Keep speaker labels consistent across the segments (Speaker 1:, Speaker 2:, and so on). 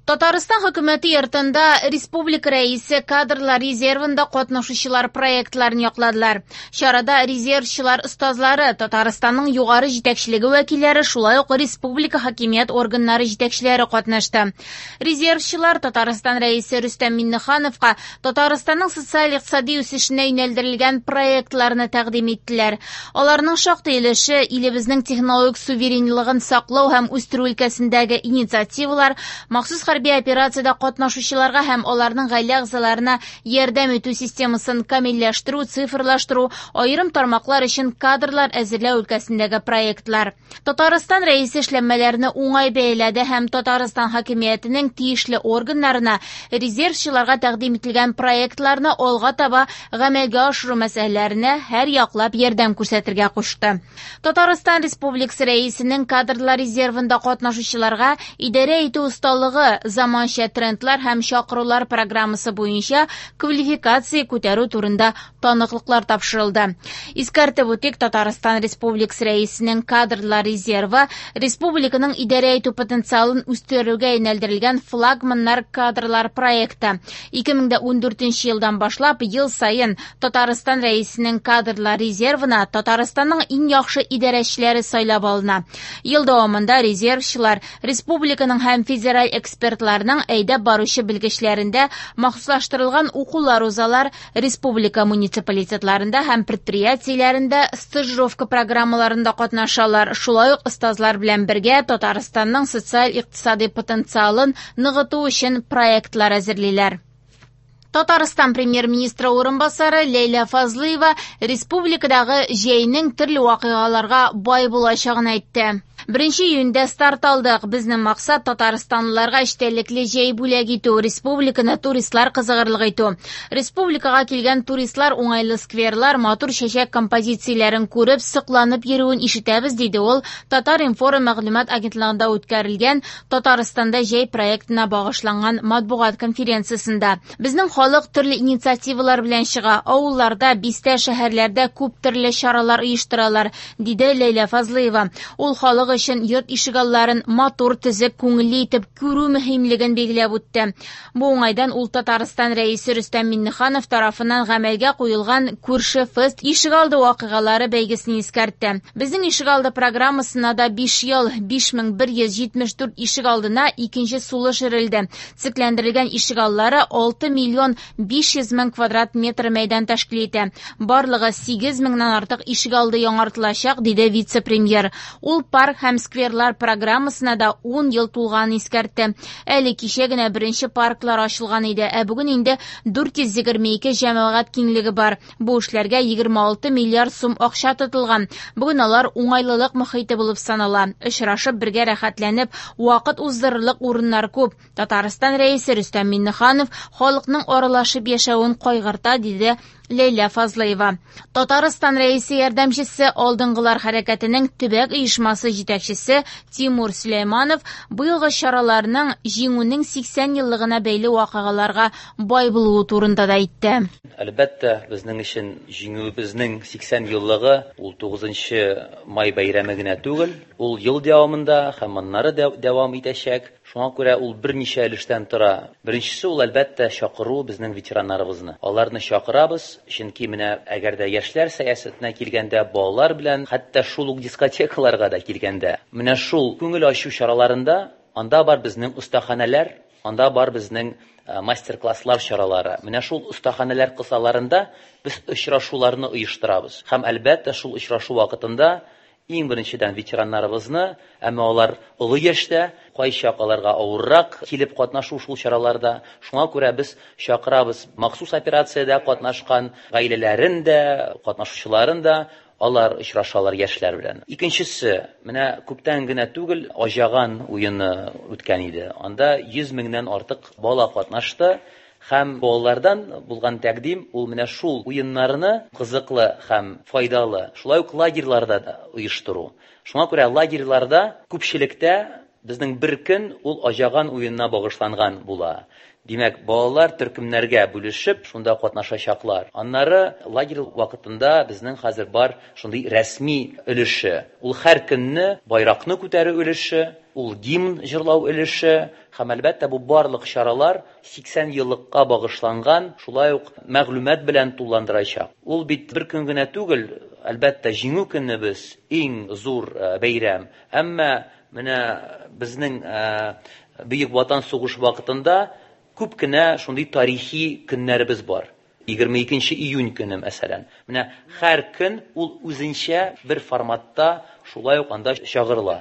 Speaker 1: Татарстан Хөкүмәте йортында республика Рәисе кадрлар резервында катнашучылар проектларын якладылар. Чарада резервчылар остазлары, Татарстанның югары җитәкчелеге вәкилләре, шулай ук республика хакимият органнары җитәкчеләре катнашты. Резервчылар Татарстан Рәисе Рөстәм Миңнехановка Татарстанның социаль-икътисади үсешенә юнәлдерелгән проектларны тәкъдим иттеләр. Аларның шактый өлеше илебезнең технологик суверенлыгын саклау һәм үстерү өлкәсендәге инициативалар, махсус хәрби операциядә катнашучыларга һәм аларның гаилә әгъзаларына ярдәм итү системасын камилләштерү, цифрлаштыру, аерым тармаклар өчен кадрлар әзерләү өлкәсендәге проектлар. Татарстан Рәисе эшләнмәләрне уңай бәяләде һәм Татарстан хакимиятенең тиешле органнарына резервчыларга тәкъдим ителгән проектларны алга таба гамәлгә ашыру мәсьәләләренә һәр яклап ярдәм күрсәтергә кушты. Татарстан Республикасы Рәисенең кадрлар резервында катнашучыларга идарә итү осталыгы, заманча трендлар һәм чакырулар программасы буенча квалификация күтәрү турында таныклыклар тапшырылды. Искәртеп үтик, Татарстан Республикасы Рәисенең кадрлар резервы республиканың идарә итү потенциалын үстерүгә юнәлдерелгән флагманнар кадрлар проекты. 2014 елдан башлап ел саен Татарстан Рәисенең кадрлар резервына Татарстанның иң яхшы идарәчеләре сайлап алына. Ел дәвамында резервчылар республиканың һәм федераль экспертларның әйдәп баручы белгечләрендә махсуслаштырылган укулар узалар, республика муниципалитетларында һәм предприятиеләрендә стажировка программаларында катнашалар. Шулай ук остазлар белән бергә Татарстанның социаль-икътисади потенциалын ныгыту өчен проектлар әзерлиләр. Татарстан премьер-министры урынбасары Ләйлә Фазлыева республикадагы җәйнең төрле вакыйгаларга бай булачагын әйтте. 1 июньдә старт алдык. Безнең максат татарстанлыларга эчтәлекле җәй бүләк итү, республиканы туристлар кызыгырлык итү. Республикага килгән туристлар уңайлы скверлар, матур чәчәк композицияләрен күреп, сокланып йөрүен ишетәбез, диде ул Татар-информ мәгълүмат агентлыгында үткәрелгән Татарстанда җәй проектына багышланган матбугат конференциясендә. Безнең халык төрле инициативалар белән чыга. Авылларда, бистә, шәһәрләрдә күп төрле чаралар оештыралар, диде Ләйлә Фазлыева. Ул халык өчен йорт ишегалларын матур, төзек, күңелле итеп күрү мөһимлеген билгеләп үтте. Бу уңайдан ул Татарстан Рәисе Рөстәм Миңнеханов тарафыннан гамәлгә куелган Күрше фест ишегалды вакыйгалары бәйгесен искәртте. Безнең ишегалды программасына да 5 ел, 5174 ишегалдына икенче сулыш өрелде. Төзекләндерелгән ишегаллары 6 миллион 500 мең квадрат метр мәйдан тәшкил итә. Барлыгы 8 меңнән артык ишегалды яңартылачак, диде вице-премьер. Ул парк һәм скверлар программасына да 10 ел тулганын искәртте. Әле кичә генә беренче парклар ачылган иде, ә бүген инде 422 җәмәгать киңлеге бар. Бу эшләргә 26 миллиард сум акча тотылган. Бүген алар уңайлылык мохите булып санала. Очрашып, бергә рәхәтләнеп, вакыт уздырырлык урыннар күп. Татарстан Рәисе Рөстәм Миңнеханов халыкның аралашып яшәвен кайгырта, диде Ләйлә Фазлыева. Татарстан Рәисе ярдәмчесе, Алдынгылар хәрәкәтенең төбәк оешмасы җитәкчесе Тимур Сөләйманов быелгы чараларның Җиңүнең 80 еллыгына бәйле вакыйгаларга бай булуы турында да әйтте.
Speaker 2: Әлбәттә, безнең өчен Җиңүебезнең 80 еллыгы ул 9 май бәйрәме генә түгел, ул ел дәвамында һәм аннары дәвам итәчәк. Шуңа күрә ул берничә өлештән тора. Беренчесе ул, әлбәттә, чакыру безнең ветераннарыбызны. Аларны чакырабыз, чөнки менә әгәр дә яшьләр сәясәтенә килгәндә, балалар белән, хәтта шул ук дискотекаларга да килгәндә, менә шул күңел ачу чараларында анда бар безнең остаханәләр, анда бар безнең мастер-класслар чаралары. Менә шул остаханәләр кысаларында без очрашуларны оештырабыз. Һәм, әлбәттә, шул очрашу вакытында иң беренчедән ветераннарыбызны, әмма алар олы яшьтә, кайчак аларга авыррак килеп катнашу шул чараларда. Шуңа күрә без чакырабыз махсус операциядә катнашкан гаиләләрен дә, катнашучыларын да, алар очрашалар яшьләр белән. Икенчесе, менә күптән генә түгел Аҗаган уены үткән иде. Анда 100 меңнән артык бала катнашты. Һәм балалардан булган тәкъдим ул менә шул уеннарны кызыклы һәм файдалы, шулай ук лагерьларда да оештыру. Шуңа күрә лагерьларда күпчелектә Безнең бер көн ул Аҗаган уенына багышланган була. Димәк, балалар төркемнәргә бүлешеп, шунда катнашачаклар. Аннары лагерь вакытында безнең хәзер бар шундый рәсми өлеше. Ул һәр көнне байракны күтәрү өлеше, ул гимн җырлау өлеше һәм, әлбәттә, бу барлык чаралар 80 еллыкка багышланган, шулай ук мәгълүмат белән тулыландырачак. Ул бит бер көн генә түгел, әлбәттә, Җиңү көнебез иң зур бәйрәм. Әмма менә безнең Бөек Ватан сугышы вакытында күп кенә шундый тарихи көннәребез бар. 22 июнь көне, мәсәлән. Менә һәр көн ул үзенчә бер форматта шулай ук анда чагырыла.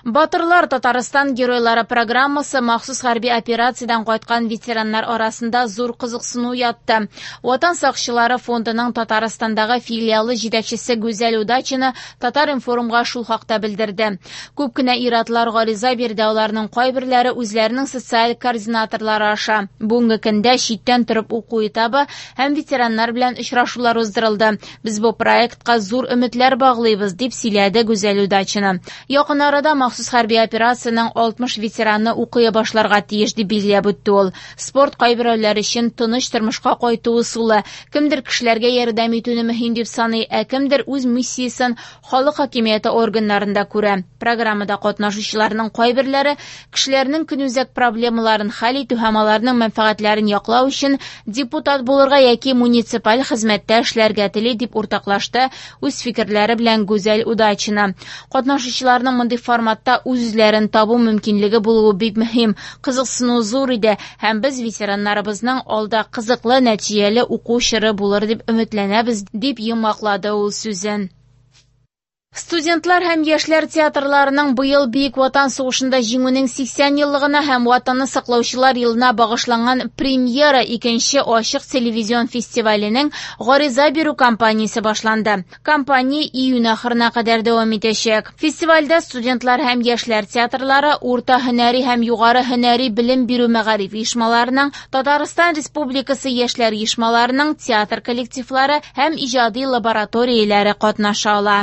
Speaker 1: Батырлар Татарстан геройлары программасы махсус хәрби операциядән кайткан ветераннар арасында зур кызыксыну уятты. Ватан сакчылары фондының Татарстандагы филиалы җитәкчесе Гүзәл Удачина Татар-информга шул хакта белдерде. Күп кенә ир-атлар гариза бирде, аларның кайберләре үзләренең социаль координаторлары аша. Бүгенге көндә читтән торып уку этабы һәм ветераннар белән очрашулар уздырылды. Без бу проектка зур өметләр баглыйбыз, дип сөйләде Гүзәл Удачина. Якын арада махсус хәрби операциянең 60 ветераны укый башларга тиеш, дип билгеләп үтте ул. Спорт кайберәүләр өчен тыныч тормышка кайту ысулы. Кемдер кешеләргә ярдәм итүне мөһим дип саный, ә кемдер үз миссиясен халык хакимияте органнарында күрә. Программада катнашучыларның кайберләре кешеләрнең көнүзәк проблемаларын хәл итү һәм аларның мәнфәгатьләрен яклау өчен депутат булырга яки муниципаль хезмәттә эшләргә тели, дип уртаклашты үз фикерләре белән Гүзәл Удачина. Катнашучыларның мондый форматта үз-үзләрен табу мөмкинлеге булуы бик мөһим. Кызыксыну зур иде һәм без ветераннарыбызның алда кызыклы, нәтиҗәле уку чоры булыр дип өметләнәбез, дип йомгаклады ул сүзен. Студентлар һәм яшьләр театрларының быел Бөек Ватан сугышында җиңүнең 80 еллыгына һәм Ватанны саклаучылар елына багышланган премьера икенче ачык телевизион фестиваленең гариза бирү кампаниясе башланды. Кампания июнь ахырына кадәр дәвам итәчәк. Фестивальдә студентлар һәм яшьләр театрлары, урта һөнәри һәм югары һөнәри белем бирү мәгариф оешмаларының, Татарстан Республикасы яшьләр оешмаларының театр коллективлары һәм иҗади лабораторияләре катнаша ала.